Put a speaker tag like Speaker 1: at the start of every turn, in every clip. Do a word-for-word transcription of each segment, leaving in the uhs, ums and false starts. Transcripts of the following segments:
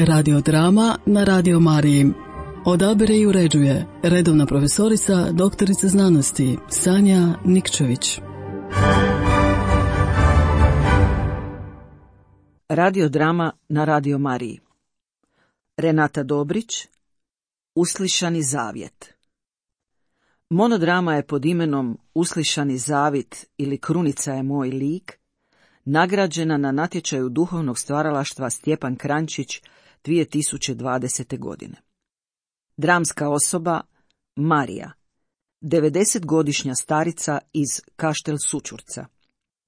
Speaker 1: Radiodrama na Radio Mariji. Odabire i uređuje redovna profesorica, doktorica znanosti Sanja Nikčević.
Speaker 2: Radiodrama na Radio Mariji. Renata Dobrić, Uslišani zavjet. Monodrama je pod imenom Uslišani zavjet ili Krunica je moj lik, nagrađena na natječaju duhovnog stvaralaštva Stjepan Kranjčić dvije tisuće dvadesete. godine. Dramska osoba Marija, devedesetgodišnja starica iz Kaštel Sućurca.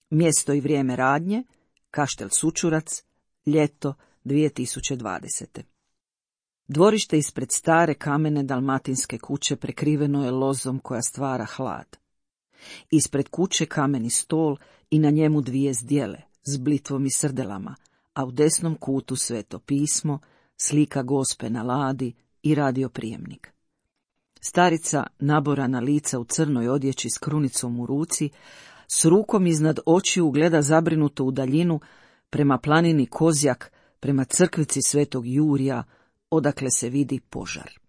Speaker 2: Mjesto i vrijeme radnje Kaštel Sućurac, ljeto dvije tisuće dvadesete. Dvorište ispred stare kamene dalmatinske kuće prekriveno je lozom koja stvara hlad. Ispred kuće kameni stol i na njemu dvije zdjele s blitvom i srdelama, a u desnom kutu Sveto pismo, slika Gospe na ladi i radioprijemnik. Starica, naborana lica u crnoj odjeći s krunicom u ruci, s rukom iznad očiju gleda zabrinuto u daljinu prema planini Kozjak, prema crkvici Svetog Jurija, odakle se vidi požar.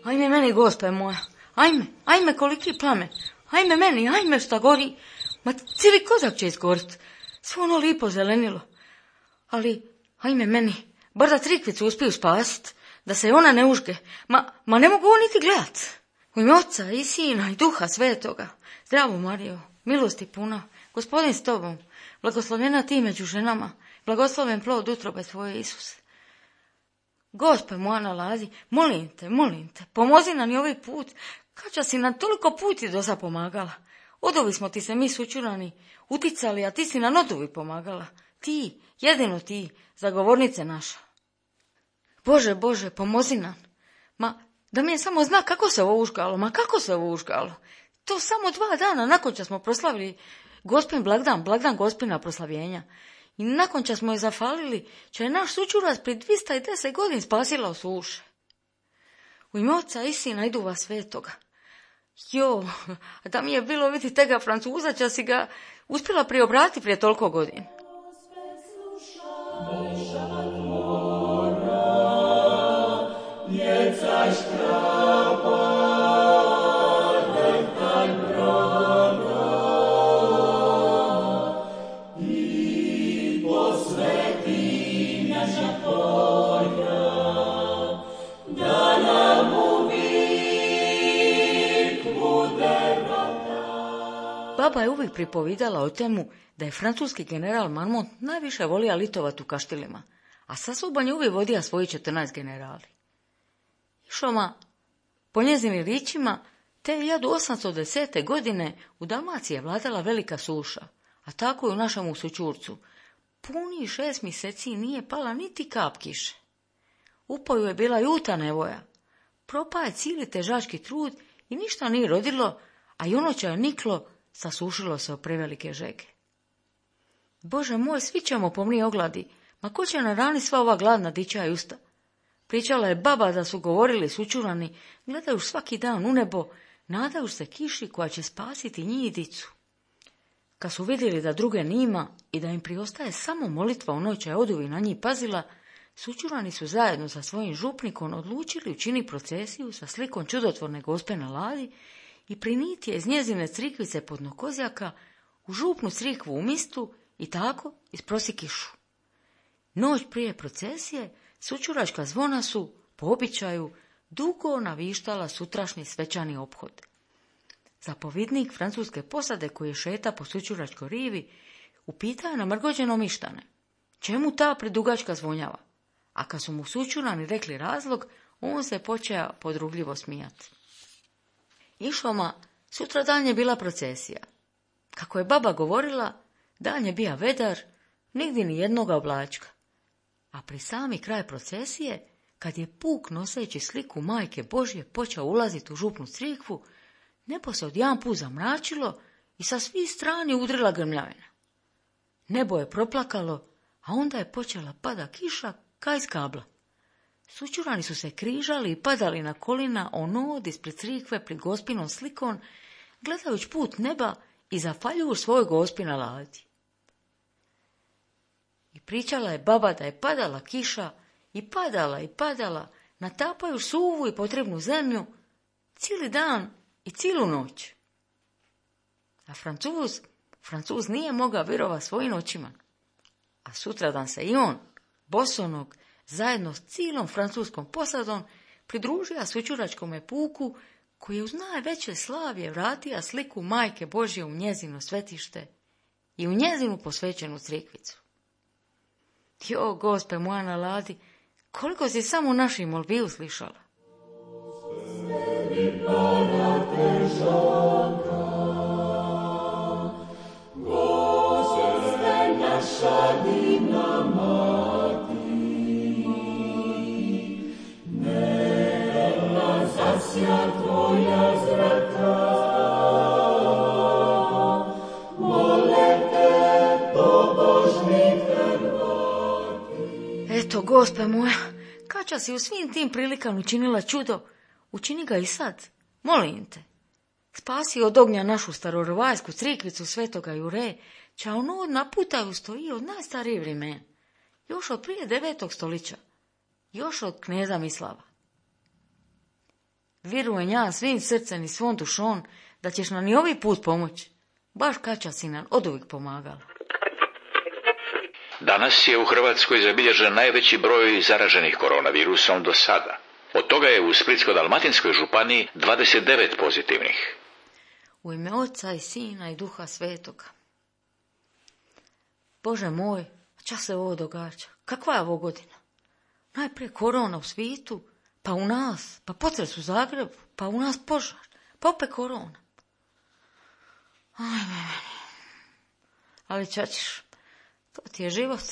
Speaker 3: Ajme meni, Gospe moja, ajme, ajme koliki plamen, ajme meni, ajme šta gori, ma cijeli Kozjak će izgorit, sve ono lipo zelenilo, ali ajme meni, bar da Crikvicu uspiju spasit, da se ona ne užge, ma, ma ne mogu ovo niti gledat. U ime Oca i Sina i Duha Svetoga, zdravo Marijo, milosti puna, Gospodin s tobom, blagoslovljena ti među ženama, blagosloven plod utrobe tvoje, Isuse. Gospe moja nalazi, molim te, molim te, pomozi nam i ovaj put, kača si nam toliko puti do sad pomagala. Odovi smo ti se mi sučurani, uticali, a ti si nam odovi pomagala. Ti, jedino ti, zagovornice naša. Bože, Bože, pomozi nam. Ma, da mi je samo zna kako se ovo užgalo, ma kako se ovo užgalo. To samo dva dana nakon što smo proslavili Gospin blagdan, blagdan Gospina proslavljenja. I nakon što smo je zafalili, će je naš sučurac pri dvista deset godin spasila od suše. U ime Oca i Sina i Duha Svetoga. Jo, da mi je bilo vidjeti tega Francuza, će si ga uspjela priobrati prije toliko godina. Baba je uvijek pripovidala o temu da je francuski general Marmont najviše volio litovat u kaštilima, a sa sobom je uvijek vodio svoji četrnaest generali. Išoma, po njezinim ričima, te hiljadu osamsto desete. godine u Dalmaciji je vladala velika suša, a tako i u našemu Sućurcu. Puni šest mjeseci nije pala niti kap kiše. U poju je bila juta nevoja. Propao je cijeli težački trud i ništa nije rodilo, a i ono će je niklo, sasušilo se o prevelike žege. Bože moj, svi ćemo pomni ogladi, ma ko će na rani sva ova gladna dića i usta? Pričala je baba da su govorili sučurani, gledaju svaki dan u nebo, nadaju se kiši koja će spasiti njih i dicu. Kad su vidjeli da druge nima i da im priostaje samo molitva ono će oduvi na njih pazila, sučurani su zajedno sa svojim župnikom odlučili učiniti procesiju sa slikom čudotvorne Gospe na ladi i priniti je iz njezine crikvice pod Kozjaka u župnu crikvu u mistu i tako isprosi kišu. Noć prije procesije sučuračka zvona su, po običaju, dugo navištala sutrašnji svečani ophod. Zapovjednik francuske posade koji je šeta po sučuračkoj rivi upitao je namrgođeno mištane, čemu ta predugačka zvonjava, a kad su mu sučurani rekli razlog, on se počeo podrugljivo smijati. Išoma, sutra dan je bila procesija. Kako je baba govorila, dan je bija vedar, nigdje ni jednoga oblačka. A pri sami kraj procesije, kad je puk noseći sliku Majke Božje počeo ulaziti u župnu crikvu, nebo se odjedanput zamračilo i sa svih strani udrila grmljavina. Nebo je proplakalo, a onda je počela pada kiša ka iz kabla. Sućurani su se križali i padali na kolina onod ispred crikve pred gospinom slikon, gledajući put neba i zafaljuju svoj gospi na ladi. I pričala je baba da je padala kiša i padala i padala, natapaju suvu i potrebnu zemlju, cijeli dan i cijelu noć. A Francuz, Francuz nije mogao vjerovati svojim očima. A sutradan se i on, bosonog, zajedno s cijelom francuskom posadom, pridružio sućuračkome puku, koji je uz najveće slavje vratio sliku Majke Božje u njezino svetište i u njezinu posvećenu crikvicu. Jo, Gospe moja na ladi, koliko si samo naši molbi uslišala. Eto, Gospe moja, kača si u svim tim prilikama učinila čudo, učini ga i sad, molim te. Spasi od ognja našu starorovajsku crikvicu Svetoga Jure, ča ono na putaju stoji od najstarije vremena, još od prije devetog stolića, još od kneza Mislava. Vjerujem ja svim srcem i svom dušom da ćeš nam i ovaj put pomoći, baš kača si nam oduvijek pomagala.
Speaker 4: Danas je u Hrvatskoj zabilježen najveći broj zaraženih koronavirusom do sada. Od toga je u Splitsko-dalmatinskoj županiji dvadeset devet pozitivnih.
Speaker 3: U ime Oca i Sina i Duha Svetoga. Bože moj, ča se ovo događa? Kakva je ovo godina? Najprije korona u svijetu, pa u nas, pa potres u Zagrebu, pa u nas požar, pa opet korona. Ajme meni. Ali čačiš, to ti je život.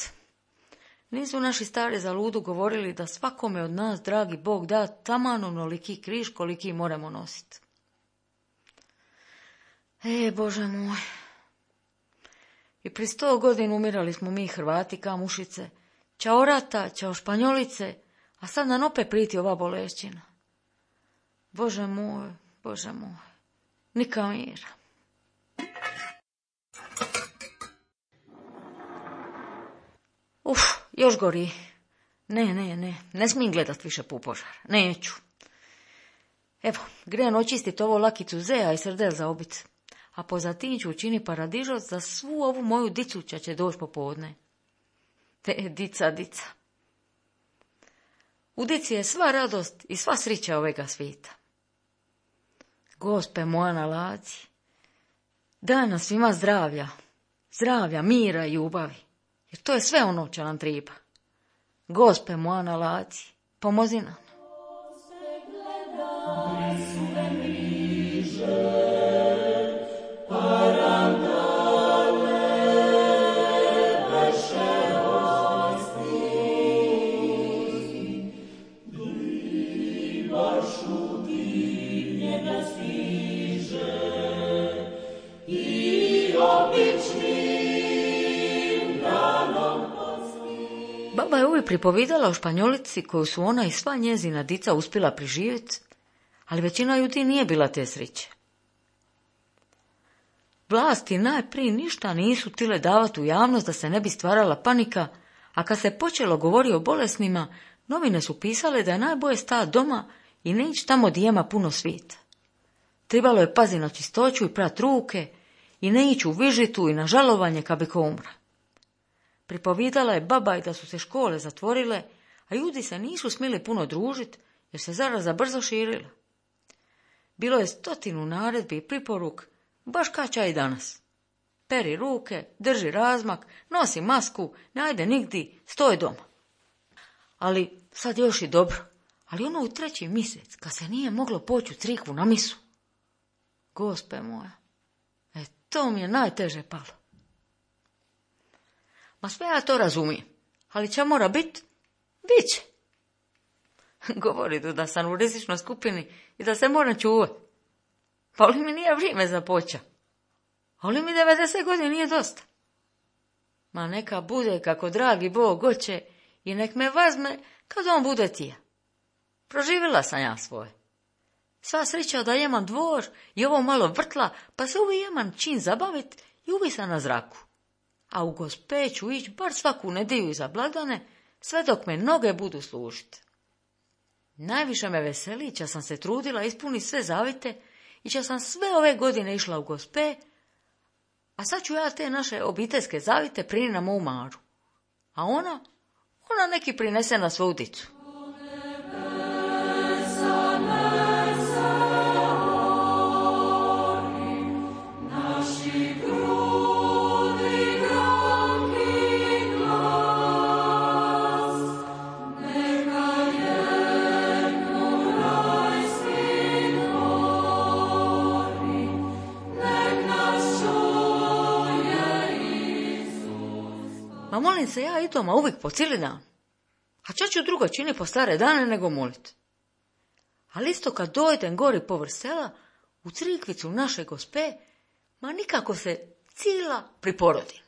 Speaker 3: Nisu naši stari za ludu govorili da svakome od nas, dragi Bog, da taman onoliki križ koliki moramo nositi. E, Bože moj. I pri sto godina umirali smo mi Hrvati ka mušice, čao rata, čao Španjolice, a sad nam opet priti ova bolešćina. Bože moj, Bože moj, nika mira. Uf, još gori. Ne, ne, ne, ne smijem gledat više pu požar, neću. Evo, grem očistit ovo lakicu zeja i srdel za obit, a pozatim ću učini paradižoc za svu ovu moju dicu ča će doći popodne. E, dica, dica. U dici je sva radost i sva srića ovega svijeta. Gospe moja na ladi, daj nam svima zdravlja, zdravlja, mira i ljubavi, jer to je sve ono čo nam treba. Gospe moja na ladi, pomozi nam. Baba je uvijek pripovidala o Španjolici koju su ona i sva njezina dica uspjela priživjeti, ali većina ljudi nije bila te sreće. Vlasti najprije ništa nisu tile davati u javnost da se ne bi stvarala panika, a kad se počelo govori o bolesnima, novine su pisale da je najbolje stati doma i ne ići tamo gdje ima puno svijeta. Trebalo je paziti na čistoću i prat ruke i ne ići u vižitu i na žalovanje kad bi ko umra. Pripovidala je baba i da su se škole zatvorile, a ljudi se nisu smjeli puno družiti jer se zaraza brzo širila. Bilo je stotinu naredbi i priporuk, baš kača i danas. Peri ruke, drži razmak, nosi masku, ne ajde nigdi, stoj doma. Ali sad još i dobro, ali ono u treći mjesec, kad se nije moglo poći u crikvu na misu. Gospe moja, e to mi je najteže palo. Ma sve ja to razumijem, ali će mora bit, bit će. Govori da sam u rizičnoj skupini i da se moram čuvati. Pa li mi nije vrijeme započa? Ali mi devedeset godina nije dosta. Ma neka bude kako dragi Bog hoće i nek me vazme kad on bude tija. Proživjela sam ja svoje. Sva sreća da imam dvor i ovo malo vrtla, pa se uvijek imam čin zabavit i uvijek sam na zraku. A u Gospe ću ići bar svaku nedjelju iza blagdane, sve dok me noge budu služiti. Najviše me veseli ća sam se trudila ispuniti sve zavite i ća sam sve ove godine išla u Gospe, a sad ću ja te naše obiteljske zavite prini na moju Maru. A ona, ona neki prinese na svoju dicu. Ma molim se ja i doma uvijek po cijeli dan. A čo ću drugo čini po stare dane nego molit. Ali isto kad dojdem gori povrh sela, u crikvicu naše Gospe, ma nikako se cijela priporodim.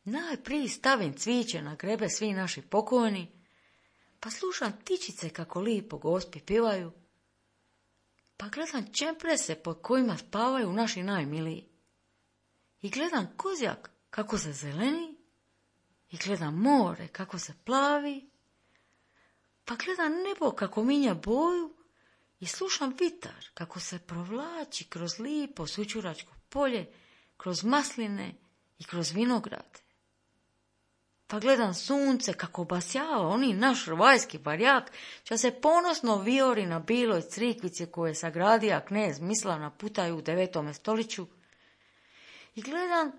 Speaker 3: Najprije stavim cviće na grebe svi naši pokojni, pa slušam tičice kako lipo Gospi pivaju, pa gledam čemprese pod kojima spavaju naši najmiliji. I gledam kozjak kako se zeleni, i gledam more kako se plavi, pa gledam nebo kako minja boju i slušam vitar kako se provlači kroz lipo sućuračko polje, kroz masline i kroz vinograde. Pa gledam sunce kako basjava oni naš rvajski barjak, ča se ponosno viori na biloj crikvici koje je sagradija knez Mislav Putaj u devetome stoliću. I gledam,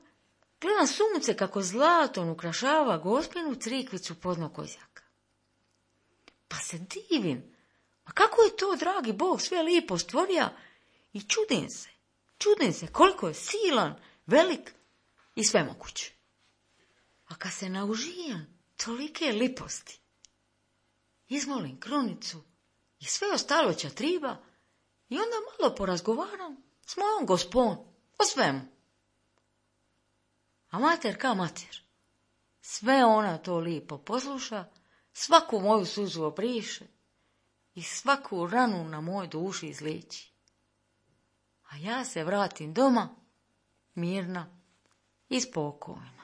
Speaker 3: gledam sunce kako zlatom ukrašava Gospinu crikvicu podno kozjaka. Pa se divim, a kako je to, dragi Bog, sve lipo stvorija, i čudim se, čudim se koliko je silan, velik i svemoguć. A kad se naužijam tolike liposti, izmolim krunicu i sve ostalo će triba i onda malo porazgovaram s mojom Gospom o svemu. A mater ka mater, sve ona to lipo posluša, svaku moju suzu obriše i svaku ranu na moj duši izliječi. A ja se vratim doma, mirna i spokojna.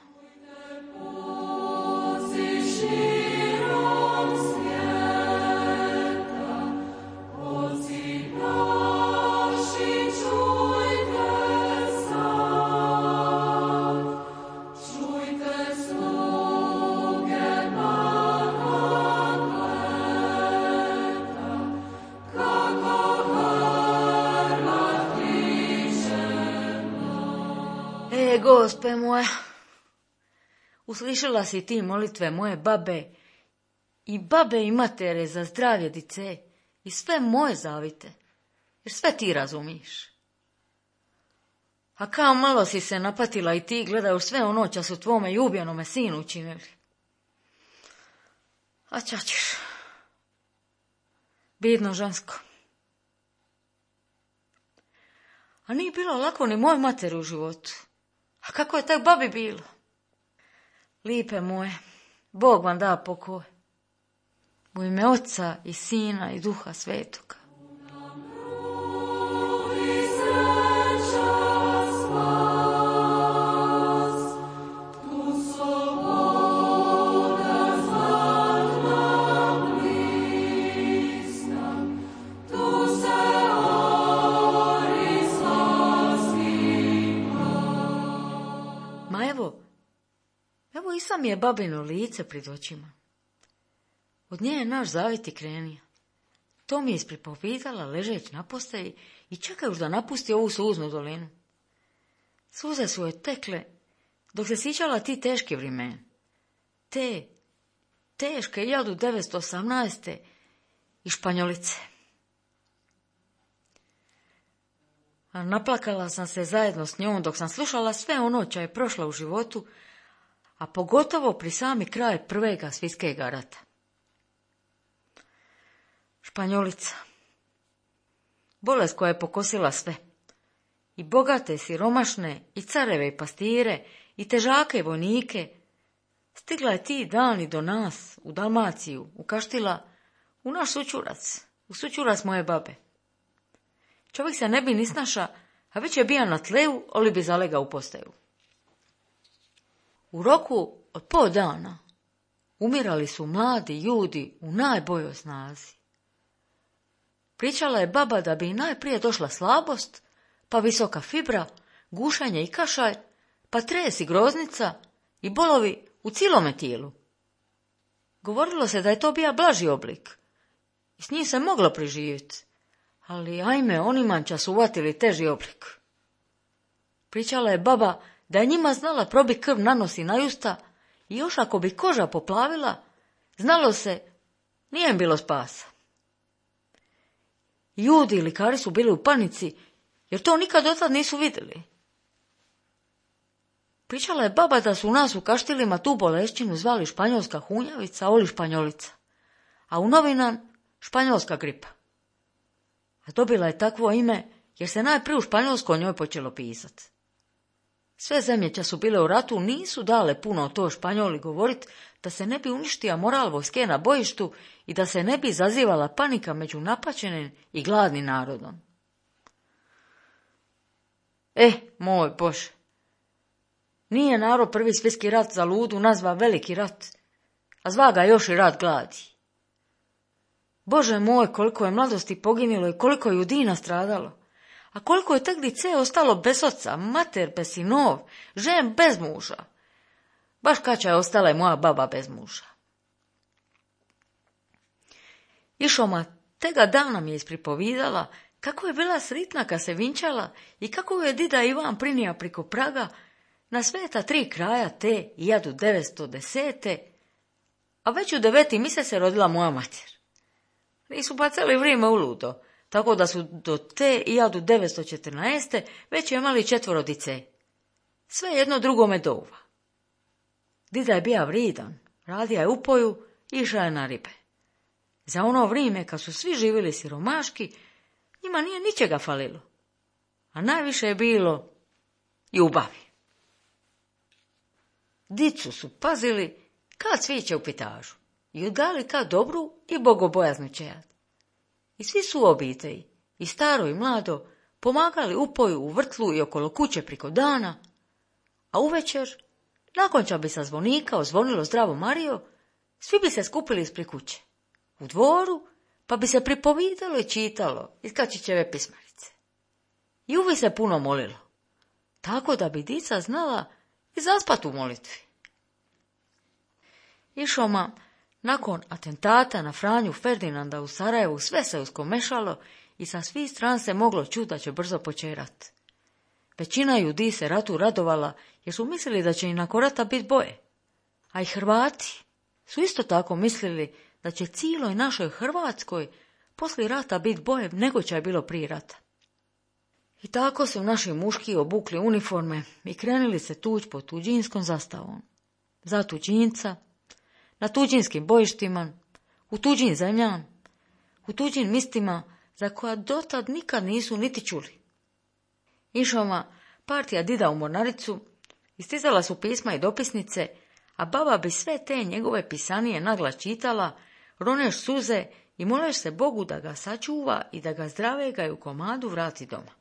Speaker 3: E, Gospe moja, uslišala si ti molitve moje babe i babe i matere za zdravlje dice i sve moje zavite, jer sve ti razumiš. A kao malo si se napatila i ti gledaju sve ono ča su tvome ljubljenome sinu učinili. A ča ćeš? Bidno žensko. A nije bilo lako ni moj materi u životu. A kako je tak babi bilo? Lipe moje, Bog vam da pokoj. U ime Oca i Sina i Duha Svetoga. Ma evo, evo i sam je babino lice pred očima. Od nje je naš zavit i krenija. To mi je ispripovidala ležeć na postaji i čekajuš da napusti ovu suznu dolinu. Suze su joj tekle dok se sjećala ti teške vremena. Te teške hiljadu devetsto osamnaeste i Španjolice. A naplakala sam se zajedno s njom dok sam slušala sve ono ča je prošla u životu, a pogotovo pri sami kraj prvega svjetskega rata. Španjolica. Bolest koja je pokosila sve. I bogate, siromašne, i careve, i pastire, i težake, i vojnike. Stigla je ti dani do nas, u Dalmaciju, u Kaštila, u naš sućurac, u sućurac moje babe. Čovjek se ne bi ni snaša, a već je bija na tleju, oli bi zalega u postaju. U roku od pol dana umirali su mladi ljudi u najboljoj snazi. Pričala je baba da bi najprije došla slabost, pa visoka fibra, gušenje i kašalj, pa tres i groznica i bolovi u cilome tijelu. Govorilo se da je to bija blaži oblik i s njim se moglo preživjeti, ali ajme, onima su uvatili teži oblik. Pričala je baba da je njima znala probiti krv na nos i na usta i još ako bi koža poplavila, znalo se, nije im bilo spasa. Ljudi i likari su bili u panici, jer to nikad dotad nisu vidjeli. Pričala je baba da su u nas u Kaštilima tu bolešćinu zvali španjolska hunjavica, oli španjolica, a u novinan španjolska gripa. A dobila je takvo ime jer se najprije u Španjolskoj o njoj počelo pisati. Sve zemlje ča su bile u ratu nisu dale puno o to Španjoli govorit da se ne bi uništio moral vojske na bojištu i da se ne bi izazivala panika među napaćenim i gladnim narodom. E, moj Bože, nije narod prvi svjetski rat za ludu nazva veliki rat, a zva ga još i rat gladi. Bože moj, koliko je mladosti poginilo i koliko je judina stradalo, a koliko je tek dice ostalo bez oca, mater bez sinov, žen bez muža. Baš kača je ostala i moja baba bez muža. Išoma tega dana mi je ispripovidala kako je bila sritna kad se vinčala i kako je dida Ivan prinija priko praga na sveta tri kraja te hiljadu devetsto desete. A već u deveti mjesec se rodila moja mater. Nisu bacali vrijeme u ludo, tako da su do te hiljadu devetsto četrnaeste već imali četvoro dice. Sve jedno drugome douva. Dida je bija vridan, radija je upoju i išla je na ribe. Za ono vrijeme kad su svi živjeli siromaški, njima nije ničega falilo, a najviše je bilo ljubavi. Dicu su pazili kad sviće u pitažu i udali kad dobru i bogobojaznu čejad. I svi su u obitelji, i staro i mlado, pomagali upoju u vrtlu i okolo kuće priko dana, a uvečer, nakon ča bi sa zvonika ozvonilo zdravo Mario, svi bi se skupili ispred kuće, u dvoru, pa bi se pripovidalo i čitalo iz Kačićeve pismarice. I uvijek se puno molilo, tako da bi dica znala i zaspat u molitvi. Išoma, nakon atentata na Franju Ferdinanda u Sarajevu, sve se uskomešalo i sa svih stran se moglo čuti da će brzo početi rat. Većina ljudi se ratu radovala jer su mislili da će i nakon rata biti boje. A i Hrvati su isto tako mislili da će cijeloj našoj Hrvatskoj poslije rata biti boje nego će je bilo prije rata. I tako su naši muški obukli uniforme i krenuli se tuć pod tuđinskom zastavom. Za tuđinca, na tuđinskim bojištima, u tuđim zemljama, u tuđim mistima za koja dotad nikad nisu niti čuli. Išoma partija dida u mornaricu, istizala su pisma i dopisnice, a baba bi sve te njegove pisanije naglas čitala, roneš suze i moleš se Bogu da ga sačuva i da ga zdravega i u komadu vrati doma.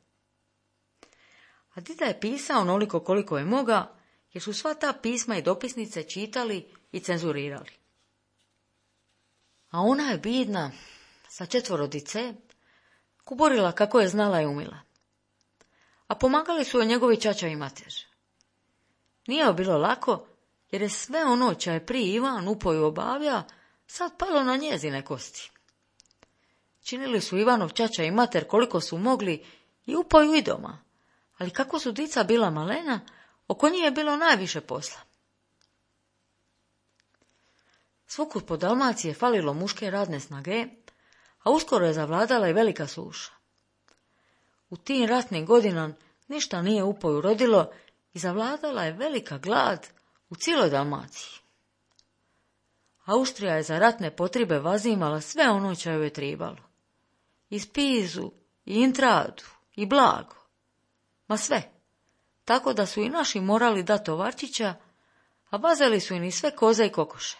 Speaker 3: A dida je pisao onoliko koliko je moga, jer su sva ta pisma i dopisnice čitali i cenzurirali. A ona je bidna, sa četvoro dice, kuborila kako je znala i umila. A pomagali su joj njegovi čača i mater. Nije joj bilo lako, jer je sve ono ča je prije Ivan upoju obavlja, sad palo na njezine kosti. Činili su Ivanov čača i mater koliko su mogli i upoju i doma, ali kako su dica bila malena, oko njih je bilo najviše posla. Svukud po Dalmaciji je falilo muške radne snage, a uskoro je zavladala i velika suša. U tim ratnim godinama ništa nije upoju rodilo i zavladala je velika glad u cijeloj Dalmaciji. Austrija je za ratne potrebe vazimala sve ono čo joj je tribalo. I spizu, i intradu, i blago. Ma sve. Tako da su i naši morali dati tovarčića, a vazeli su im i sve koze i kokoše.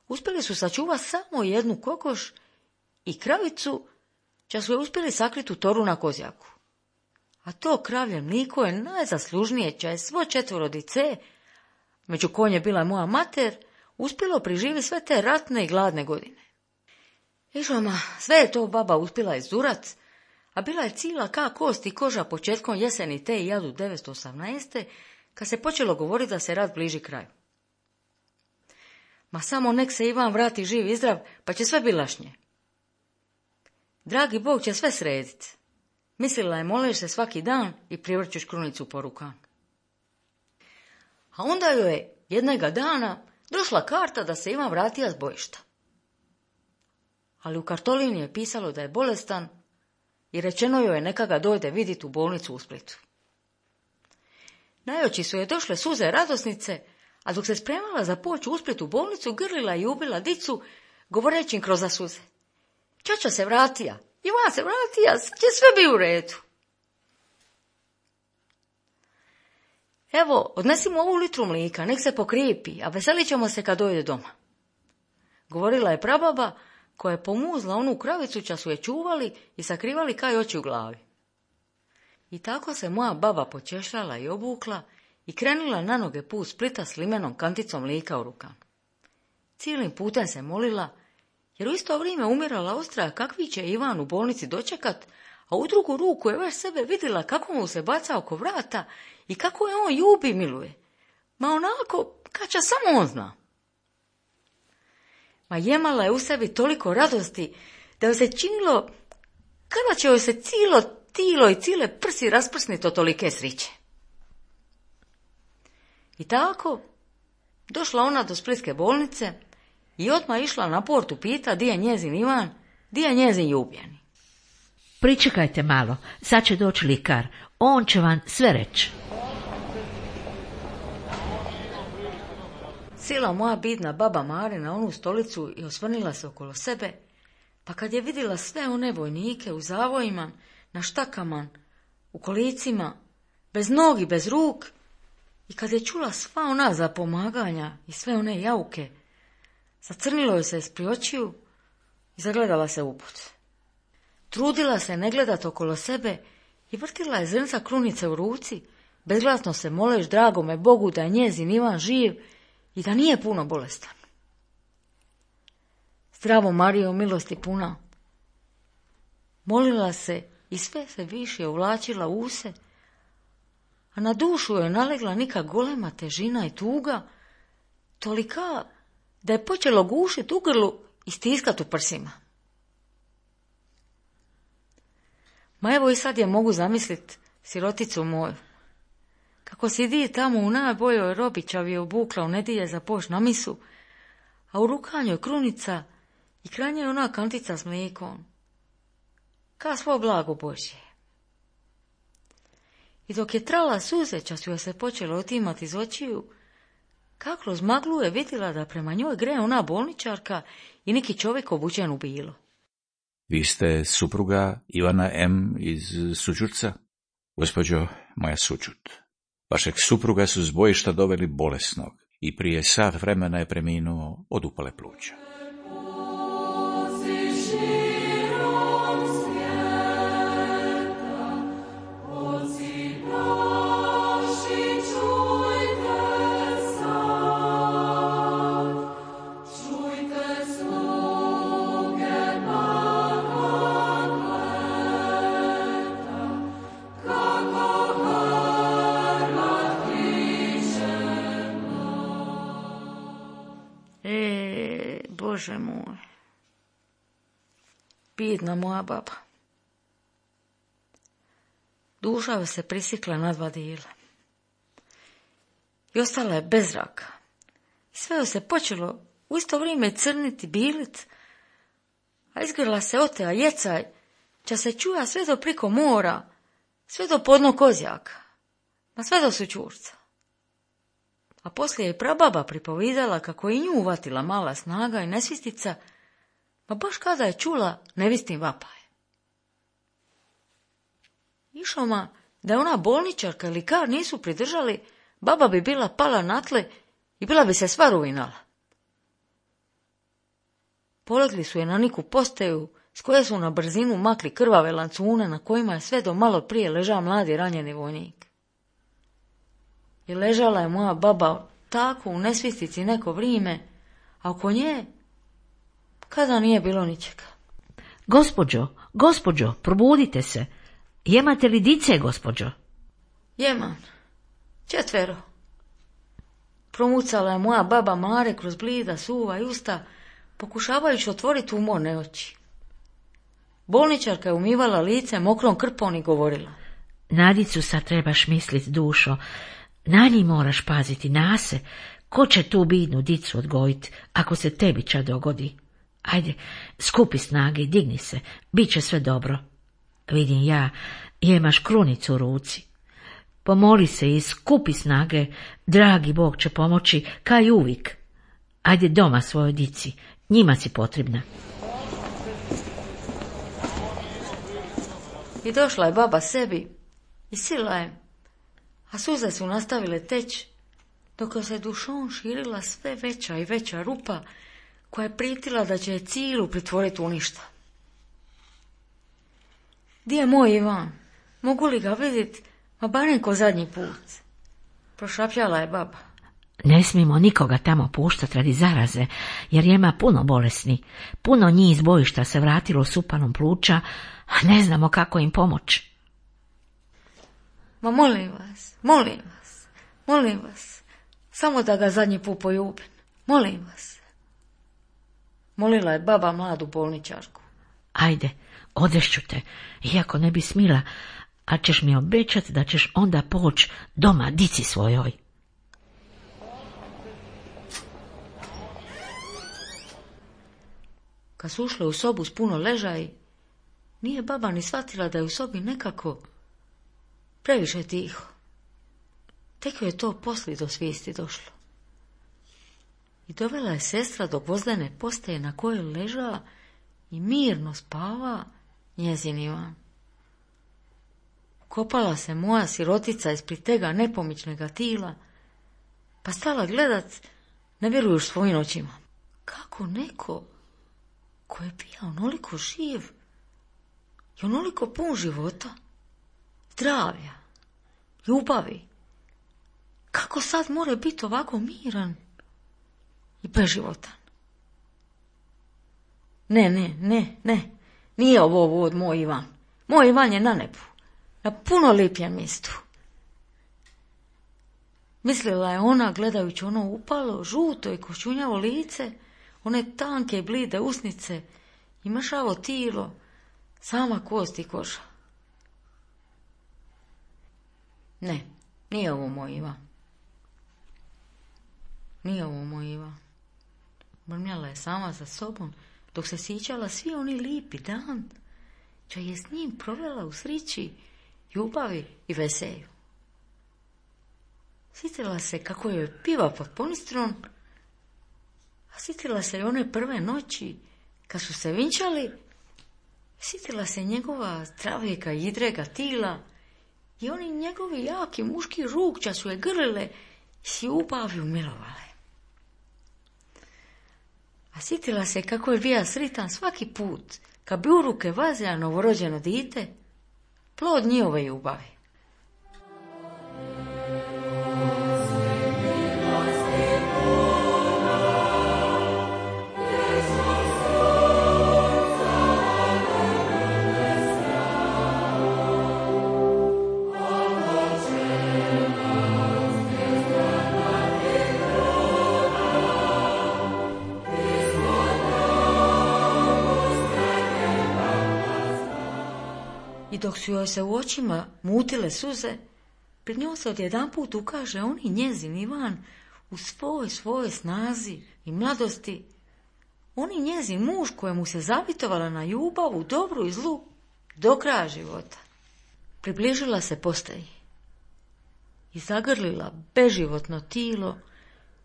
Speaker 3: Uspjeli su sačuvati samo jednu kokoš i kravicu, ča su je uspjeli sakriti u toru na kozjaku. A to kravlje mliko je najzaslužnije, ča je svo četvorodice, među konje je bila moja mater, uspjelo priživi sve te ratne i gladne godine. Išoma, sve je to baba uspjela izdurat, a bila je cila ka kost i koža početkom jeseni te hiljadu devetsto osamnaeste. kad se počelo govoriti da se rat bliži kraju. Ma samo nek se Ivan vrati živ i zdrav, pa će sve bilašnje. Dragi Bog će sve srediti. Mislila je moleš se svaki dan i privrćuš krunicu po rukama. A onda joj je jednoga dana došla karta da se Ivan vratija s bojišta. Ali u kartolini je pisalo da je bolestan i rečeno joj je neka ga dojde vidjeti u bolnicu u Splitu. Na oči su je došle suze radosnice, a dok se spremala za poć u Splitu u bolnicu, grlila i ubila dicu, govoreći im kroz suze. Čača se vratija, Ivan se vratija, sad će sve bi u redu. Evo, odnesimo ovu litru mlika, nek se pokrijepi, a veselit ćemo se kad dojde doma. Govorila je prababa, koja je pomuzla onu kravicu ča su je čuvali i sakrivali kaj oči u glavi. I tako se moja baba počešljala i obukla i krenula na noge put Splita s limenom kanticom mlika u rukama. Cijelim putem se molila, jer u isto vrijeme umirala ostraja kakvi će Ivan u bolnici dočekat, a u drugu ruku je već sebe vidjela kako mu se baca oko vrata i kako je on ljubi miluje. Ma onako, kača samo on zna. Ma jemala je u sebi toliko radosti da joj se činilo kada će joj se cijelo tilo i cijele prsi rasprsniti od tolike sriće. I tako došla ona do splitske bolnice i odmah išla na portu pita di je njezin Ivan, di je njezin ljubljeni.
Speaker 5: Pričekajte malo, sad će doći likar, on će vam sve reći.
Speaker 3: Sila moja bidna baba Mare na onu stolicu i osvrnila se okolo sebe, pa kad je vidjela sve one vojnike u zavojima, na štakama, u kolicima, bez nogi, bez ruk, i kad je čula sva ona zapomaganja i sve one jauke, zacrnilo joj se ispri očiju i zagledala se u put. Trudila se ne gledat okolo sebe i vrtila je zrnca krunice u ruci, bezglasno se moleš dragome Bogu da je njezin Ivan živ i da nije puno bolestan. Zdravo Marijo, milosti puna. Molila se i sve se više uvlačila u se, a na dušu joj nalegla neka golema težina i tuga, tolika da je počelo gušit u grlu i stiskat u prsima. Ma evo i sad je mogu zamislit siroticu moju, kako sidi tamo u najboljoj robićavi obukla u nedjelje za poš na misu, a u rukanju je krunica i kranje je ona kantica s mlikom, ka svo blago Božje. I dok je trala suze, čas joj se počelo otimati iz očiju, kako kroz maglu je vidjela da prema njoj gre ona bolničarka i neki čovjek obučen u bilo.
Speaker 4: Vi ste supruga Ivana M. iz Sućurca? Gospođo, moja Sućut. Vašeg supruga su s bojišta doveli bolesnog i prije sat vremena je preminuo od upale pluća.
Speaker 3: Bože moj, bidna moja baba. Duša joj se prisikla na dva dijela i ostala je bez zraka. I sve joj se počelo u isto vrijeme crniti, bilit, a izgrla se otea jecaj, ča se čuja sve do priko mora, sve do podno kozjaka, ma sve do Sućurca. A poslije je prababa pripovidala kako je i nju uvatila mala snaga i nesvistica, pa baš kada je čula nevistin vapaj. Išoma, da je ona bolničarka ili kar nisu pridržali, baba bi bila pala na tle i bila bi se sva ruinala. Polegli su je na neku postaju s koje su na brzinu makli krvave lancune na kojima je sve do malo prije ležao mladi ranjeni vojnik. I ležala je moja baba tako u nesvistici neko vrijeme, a oko nje kada nije bilo ničega.
Speaker 5: Gospođo, gospođo, probudite se. Jemate li dice, gospođo?
Speaker 3: Jeman, četvero. Promucala je moja baba Mare kroz blida, suva i usta, pokušavajući otvoriti umorne oči. Bolničarka je umivala lice mokrom krpom i govorila.
Speaker 5: Na dicu sad trebaš mislit, dušo. Na njih moraš paziti, na se. Ko će tu bidnu dicu odgojit, ako se tebi ča dogodi? Ajde, skupi snage i digni se, bit će sve dobro. Vidim ja, jemaš krunicu u ruci. Pomoli se i skupi snage, dragi Bog će pomoći, kaj uvijek. Ajde doma svojoj dici, njima si potrebna.
Speaker 3: I došla je baba sebi i sila je, a suze su nastavile teći, dok se dušom širila sve veća i veća rupa, koja je pritila da će je cilu pritvoriti u ništa. Di je moj Ivan? Mogu li ga vidjeti, ma barem ko zadnji put? Prošapjala je baba.
Speaker 5: Ne smijemo nikoga tamo puštati radi zaraze, jer ima puno bolesni. Puno njih iz bojišta se vratilo s upanom pluća, a ne znamo kako im pomoći.
Speaker 3: Ma molim vas, molim vas, molim vas, samo da ga zadnji put poljubim, molim vas. Molila je baba mladu bolničarku.
Speaker 5: Ajde, odvešću te, iako ne bi smila, a ćeš mi obećati da ćeš onda poći doma dici svojoj.
Speaker 3: Kad su ušle u sobu s puno ležaj, nije baba ni shvatila da je u sobi nekako previše tiho. Tek je to poslije do svijesti došlo. I dovela je sestra do gvozdene postaje na kojoj leža i mirno spava njezin Ivan. Kopala se moja sirotica ispred tega nepomičnega tila, pa stala gledat, ne vjerujuš svojim očima. Kako neko ko je bio onoliko živ i onoliko pun života, zdravlja, ljubavi, kako sad more biti ovako miran i beživotan? Ne, ne, ne, ne, nije ovo vod moj Ivan. Moj Ivan je na nebu, na puno lipijem mjestu. Mislila je ona, gledajući ono upalo, žuto i koščunjavo lice, one tanke i blide usnice i mršavo tilo, sama kost i koža. Ne, nije ovo moj Ivan. Nije ovo moj Ivan. Mrmljala je sama za sobom, dok se sjećala svi oni lipi dan, čo je s njim provela u srići, ljubavi i veselju. Sjetila se kako joj piva pod ponistrom, a sjetila se i one prve noći, kad su se vinčali, sjetila se njegova zdravijeka i idrega tila i oni njegovi jaki muški rukća su je grlile i s ljubavi umilovale. A sjetila se kako je bija sritan svaki put, kad bi u ruke vazila novorođeno dite, plod njihove ljubavi. I dok su joj se u očima mutile suze, pred njom se odjedanput ukaže oni njezin Ivan u svoj svojoj snazi i mladosti, oni njezin muž kojemu se zavitovala na ljubavu, dobru i zlu, do kraja života. Približila se postaji i zagrlila beživotno tilo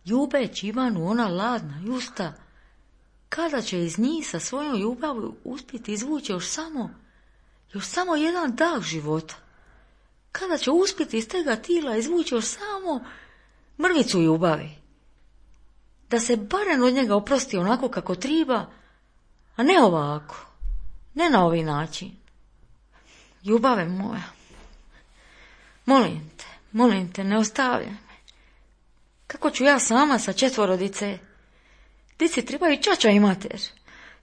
Speaker 3: ljubeći Ivanu ona ladna i usta, kada će iz njih sa svojom ljubavi uspjeti izvući još samo, još samo jedan dah života, kada će uspjeti iz tega tila izvući još samo mrvicu ljubavi, da se barem od njega oprosti onako kako treba, a ne ovako, ne na ovaj način. Ljubave moja, molim te, molim te, ne ostavljaj me. Kako ću ja sama sa četvoro dice? Dici trebaju čača i mater.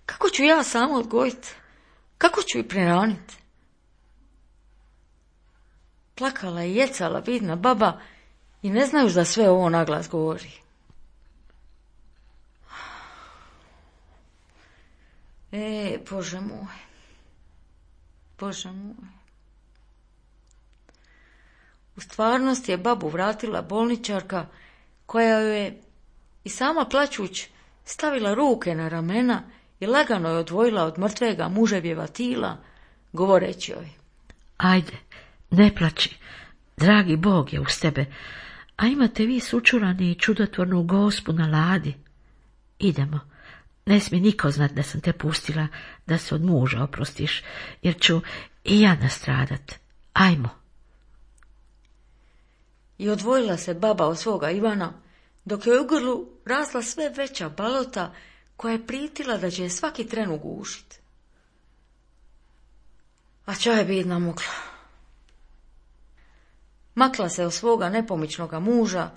Speaker 3: Kako ću ja sama odgojiti? Kako ću ih prehraniti? Plakala i jecala vidna baba i ne znajuš da sve ovo naglas govori. E, Bože moj, Bože moj. U stvarnosti je babu vratila bolničarka, koja joj je i sama plačuć stavila ruke na ramena i lagano je odvojila od mrtvega muževjeva tila, govoreći joj:
Speaker 5: Ajde, ne plači, dragi Bog je uz tebe, a imate vi sučurani i čudotvornu Gospu na ladi. Idemo, ne smije niko znat da sam te pustila da se od muža oprostiš, jer ću i ja nastradat. Ajmo.
Speaker 3: I odvojila se baba od svoga Ivana, dok je u grlu rasla sve veća balota koja je pritila da će je svaki tren ugušiti. A ča je bidna mukla. Makla se od svoga nepomičnoga muža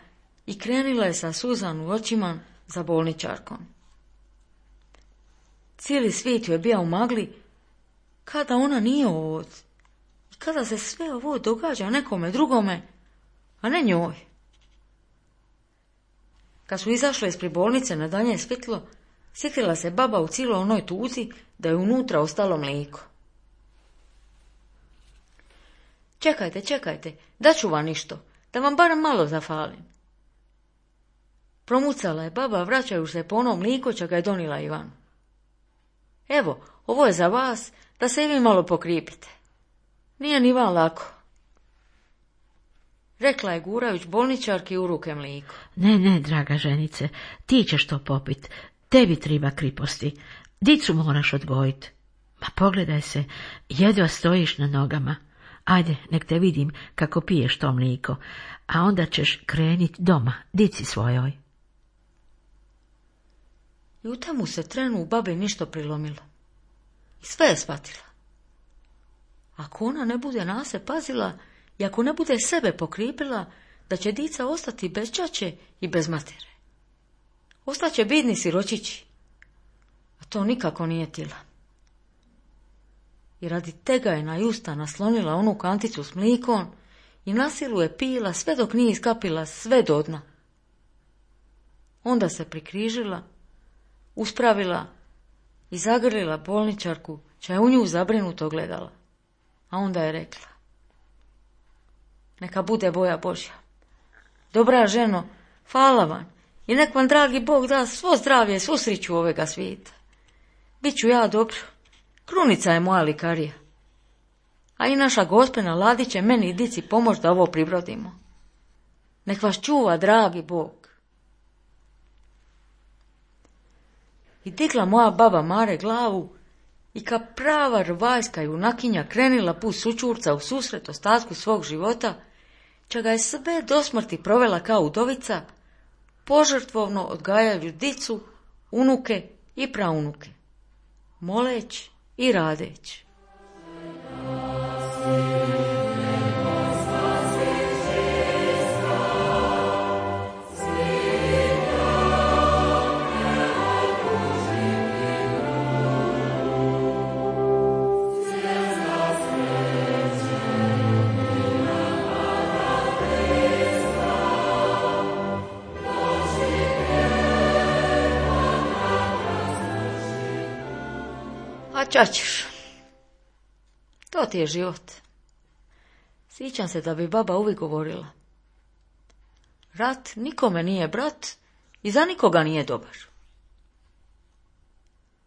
Speaker 3: i krenila je sa suzan u očima za bolničarkom. Cijeli svijet ju je bio u magli, kada ona nije ovdje i kada se sve ovo događa nekome drugome, a ne njoj. Kad su izašle ispred bolnice na danje svjetlo, sjetila se baba u cijeloj onoj tuzi da je unutra ostalo mlijeko. Čekajte, čekajte, daću vam ništo, da vam barem malo zafalim. Promucala je baba, vraćajući se po ono mlijeko čo ga je donila Ivan. Evo, ovo je za vas, da se i vi malo pokripite. Nije ni vam lako. Rekla je gurajuć bolničarki u ruke mlijeko.
Speaker 5: Ne, ne, draga ženice, ti ćeš to popit, tebi treba kriposti, dicu moraš odgojit. Ma pogledaj se, jedva stojiš na nogama. Ajde, nek te vidim kako piješ to mlijeko, a onda ćeš krenit doma, dici svojoj.
Speaker 3: I u temu se trenu u babi ništo prilomilo. I sve je shvatila. Ako ona ne bude na se pazila i ako ne bude sebe pokripila, da će dica ostati bez čače i bez matere. Ostaće bidni siročići. A to nikako nije tila. I radi tega je na justa naslonila onu kanticu s mlikom i na silu je pila sve dok nije iskapila sve do dna. Onda se prikrižila, uspravila i zagrlila bolničarku, ča je u nju zabrinuto gledala. A onda je rekla: Neka bude boja Božja. Dobra ženo, hvala vam i nek vam dragi Bog da svo zdravlje, svu sriću ovega svijeta. Biću ja dobro, krunica je moja likarija. A i naša Gospena Ladi će meni i dici pomoć da ovo pribrodimo. Nek vas čuva dragi Bog. I digla moja baba Mare glavu i ka prava rvajska junakinja krenila put sučurca u susret ostatku svog života, ča ga je sve do smrti provela kao udovica, požrtvovno odgajajući dicu, unuke i praunuke, moleć i radeć. A čačeš, to ti je život. Sjećam se da bi baba uvijek govorila: rat nikome nije brat i za nikoga nije dobar.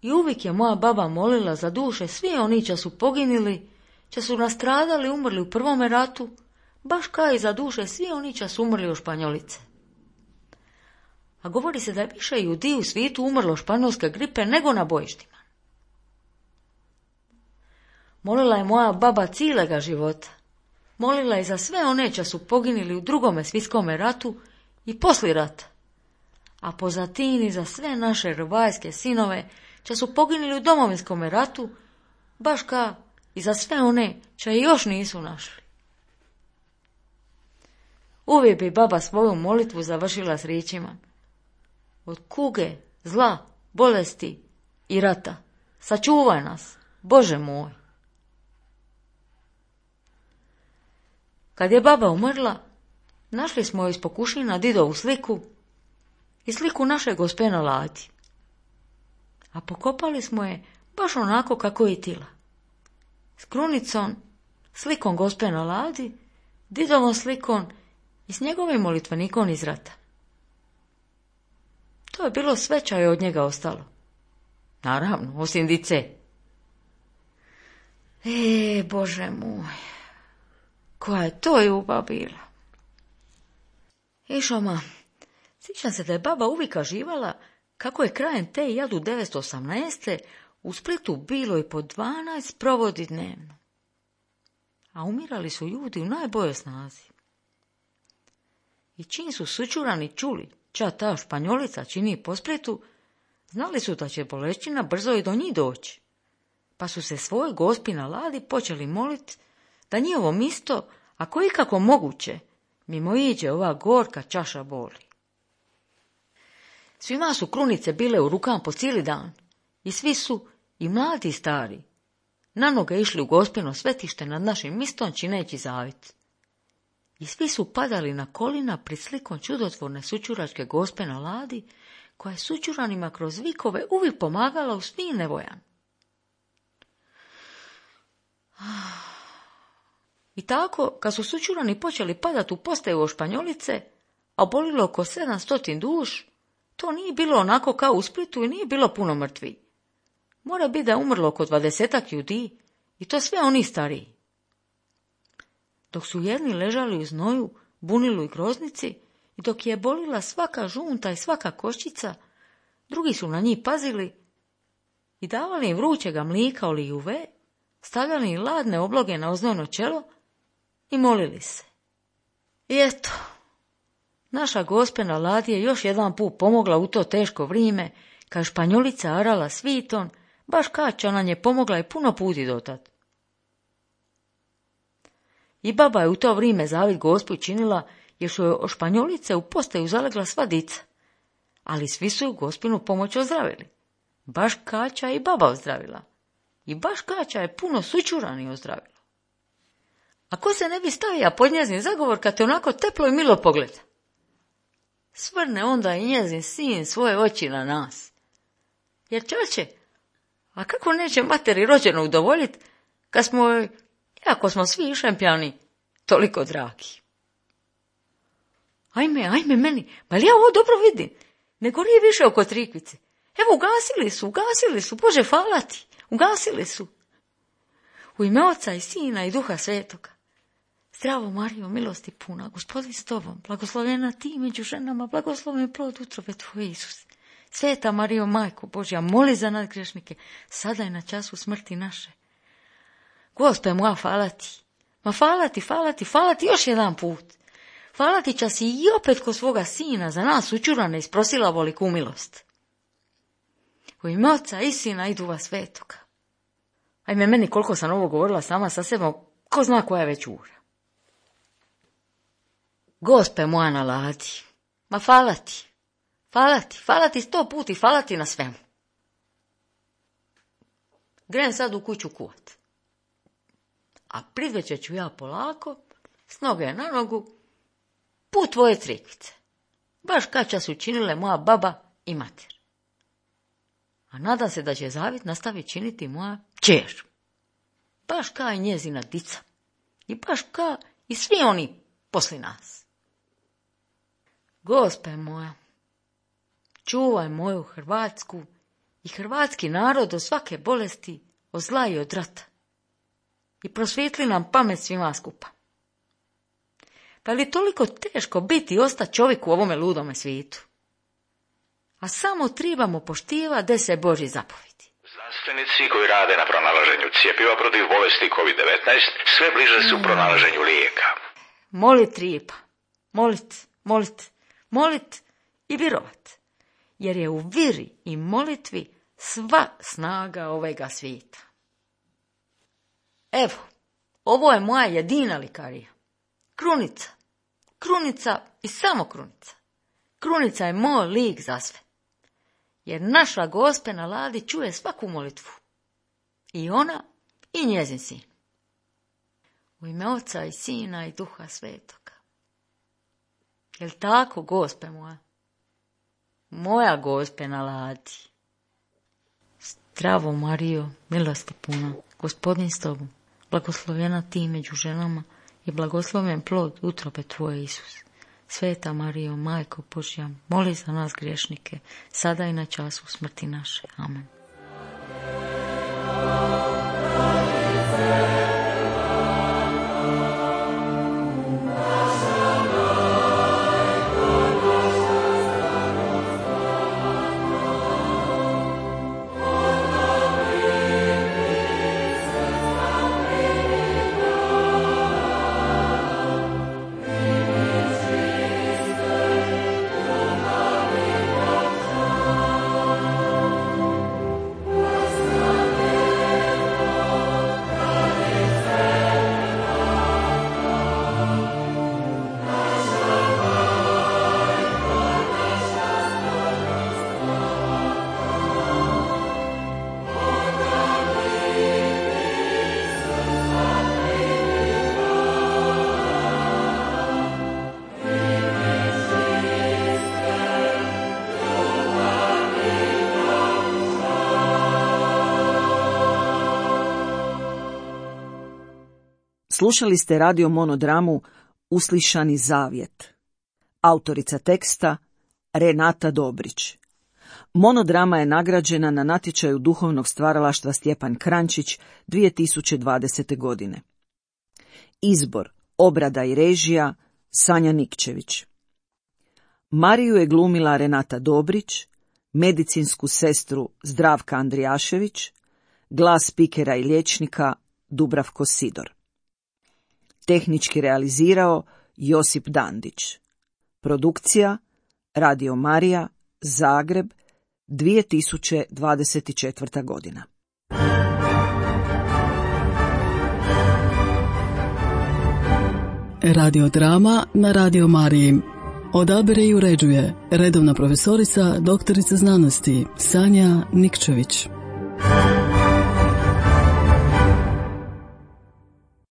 Speaker 3: I uvijek je moja baba molila za duše svi oni ča su poginili, ča su nastradali, umrli u prvome ratu, baš kao i za duše svi oni ča su umrli u Španjolice. a govori se da je više ljudi u svijetu umrlo španjolske gripe nego na bojištima. Molila je moja baba cijelega života. Molila je za sve one čo su poginili u drugome svjetskome ratu i poslije rata. A pozatini za sve naše rvajske sinove čo su poginili u domovinskome ratu, baš ka i za sve one čo je još nisu našli. Uvijek bi baba svoju molitvu završila s riječima: od kuge, zla, bolesti i rata sačuvaj nas, Bože moj. Kad je baba umrla, našli smo joj iz pokušina didovu sliku i sliku naše gospe na ladi. A pokopali smo je baš onako kako je tila. S krunicom, slikom gospe na ladi, didovom slikom i s njegovim molitvenikom iz rata. To je bilo sve čo je od njega ostalo. Naravno, osim dice. E, Bože moj, koja je to ljubav bila. Išoma, sjećam se da je baba uvijek kaživala kako je krajem te hiljadu devetsto osamnaeste. u Splitu bilo i po dvanaest provodi dnevno. A umirali su ljudi u najboljoj snazi. I čim su sučurani čuli ča ta Španjolica čini po Splitu, znali su da će bolešćina brzo i do njih doći. Pa su se svoj gospi na ladi počeli moliti da njihovo misto, ako ikako moguće, mimo iđe ova gorka čaša boli. Svima su krunice bile u rukama po cijeli dan i svi su, i mladi i stari, na noge išli u gospino svetište nad našim mistom čineći zavit. I svi su padali na kolina pred slikom čudotvorne sučuračke gospe na ladi, koja je sučuranima kroz vikove uvijek pomagala u svim nevojama. I tako, kad su sučurani počeli padati u postaju o Španjolice, a obolilo oko sedamstotin duš, to nije bilo onako kao u Splitu i nije bilo puno mrtvi. Mora biti da je umrlo oko dvadesetak ljudi, i to sve oni stariji. Dok su jedni ležali u znoju, bunilu i groznici, i dok je bolila svaka žunta i svaka koščica, drugi su na njih pazili i davali im vrućega mlika oli juve, stavljali im ladne obloge na oznojno čelo i molili se. I eto, naša gospe na ladi je još jedan put pomogla u to teško vrijeme, kad Španjolica arala sviton, baš kača nam je pomogla i puno puti dotad. I baba je u to vrijeme zavit gospu činila, jer su joj o Španjolice u postaju zalegla sva dica, ali svi su ju gospinu pomoć ozdravili. Baš kača i baba ozdravila. I baš kača je puno sučurani ozdravila. A ko se ne bi stavija pod njezin zagovor kad te onako teplo i milo pogleda? Svrne onda i njezin sin svoje oči na nas. Jer čače, a kako neće materi rođeno udovoljiti, kad smo, iako smo svi šempjani, toliko dragi? Ajme, ajme meni, ma li ja ovo dobro vidim? Ne gori više oko Trikvice. Evo, ugasili su, ugasili su, Bože, hvala ti, ugasili su. U ime Oca i Sina i Duha Svetoga. Zdravo, Marijo, milosti puna, Gospodin s tobom, blagoslovljena ti među ženama, blagosloven plod utrobe tvoje, Isus. Sveta Marijo, Majko Božja, moli za nas grešnike, sada je na času smrti naše. Gospe moja, hvala ti, ma hvala ti, hvala ti, hvala ti još jedan put. Hvala ti čas i opet ko svoga Sina za nas učurane isprosila voliku milost. U ime Oca i Sina i Duha Svetoga. Ajme, meni koliko sam ovo govorila sama sa sebom, ko zna koja je već ura. Gospe moja na ladi, ma hvala ti, hvala ti, hvala ti sto puti, hvala ti na svemu. Grem sad u kuću kuvat. A pridveće ću ja polako, s noge na nogu, put tvoje Trikvice. Baš kača su činile moja baba i mater. A nadam se da će zavit nastaviti činiti moja kćer. Baš ka i njezina dica. I baš ka i svi oni posli nas. Gospe moja, čuvaj moju Hrvatsku i hrvatski narod od svake bolesti, od zla i od rata. I prosvijetli nam pamet svima skupa. Pa li toliko teško biti i ostati čovjek u ovome ludome svijetu? a samo trebamo poštiva deset Božjih zapovjedi.
Speaker 4: Znanstvenici koji rade na pronalaženju cjepiva protiv bolesti kovid devetnaest sve bliže su pronalaženju lijeka.
Speaker 3: Molit treba, molit, molit, molit i virovat, jer je u viri i molitvi sva snaga ovega svijeta. Evo, ovo je moja jedina likarija. Krunica, krunica i samo krunica. Krunica je moj lik za sve. Jer naša Gospe na ladi čuje svaku molitvu. I ona i njezin sin. U ime Oca i Sina i Duha Svetoga. Jel tako, Gospe moja? Moja Gospe na ladi. Zdravo Marijo, milosti puna, Gospodin s tobom, blagoslovljena ti među ženama i blagosloven plod utrobe tvoje, Isus. Sveta Marijo, Majko Božja, moli za nas griješnike, sada i na času smrti naše. Amen.
Speaker 2: Slušali ste radio monodramu Uslišani zavjet. Autorica teksta Renata Dobrić. Monodrama je nagrađena na natječaju duhovnog stvaralaštva Stjepan Krančić dvije tisuće dvadesete. godine. Izbor, obrada i režija Sanja Nikčević. Mariju je glumila Renata Dobrić, medicinsku sestru Zdravka Andrijašević, glas spikera i liječnika Dubravko Sidor. Tehnički realizirao Josip Dandić. Produkcija Radio Marija, Zagreb, dvije tisuće dvadeset četvrta. godina.
Speaker 1: Radiodrama na Radio Mariji. Odabire i uređuje redovna profesorica, doktorica znanosti Sanja Nikčević.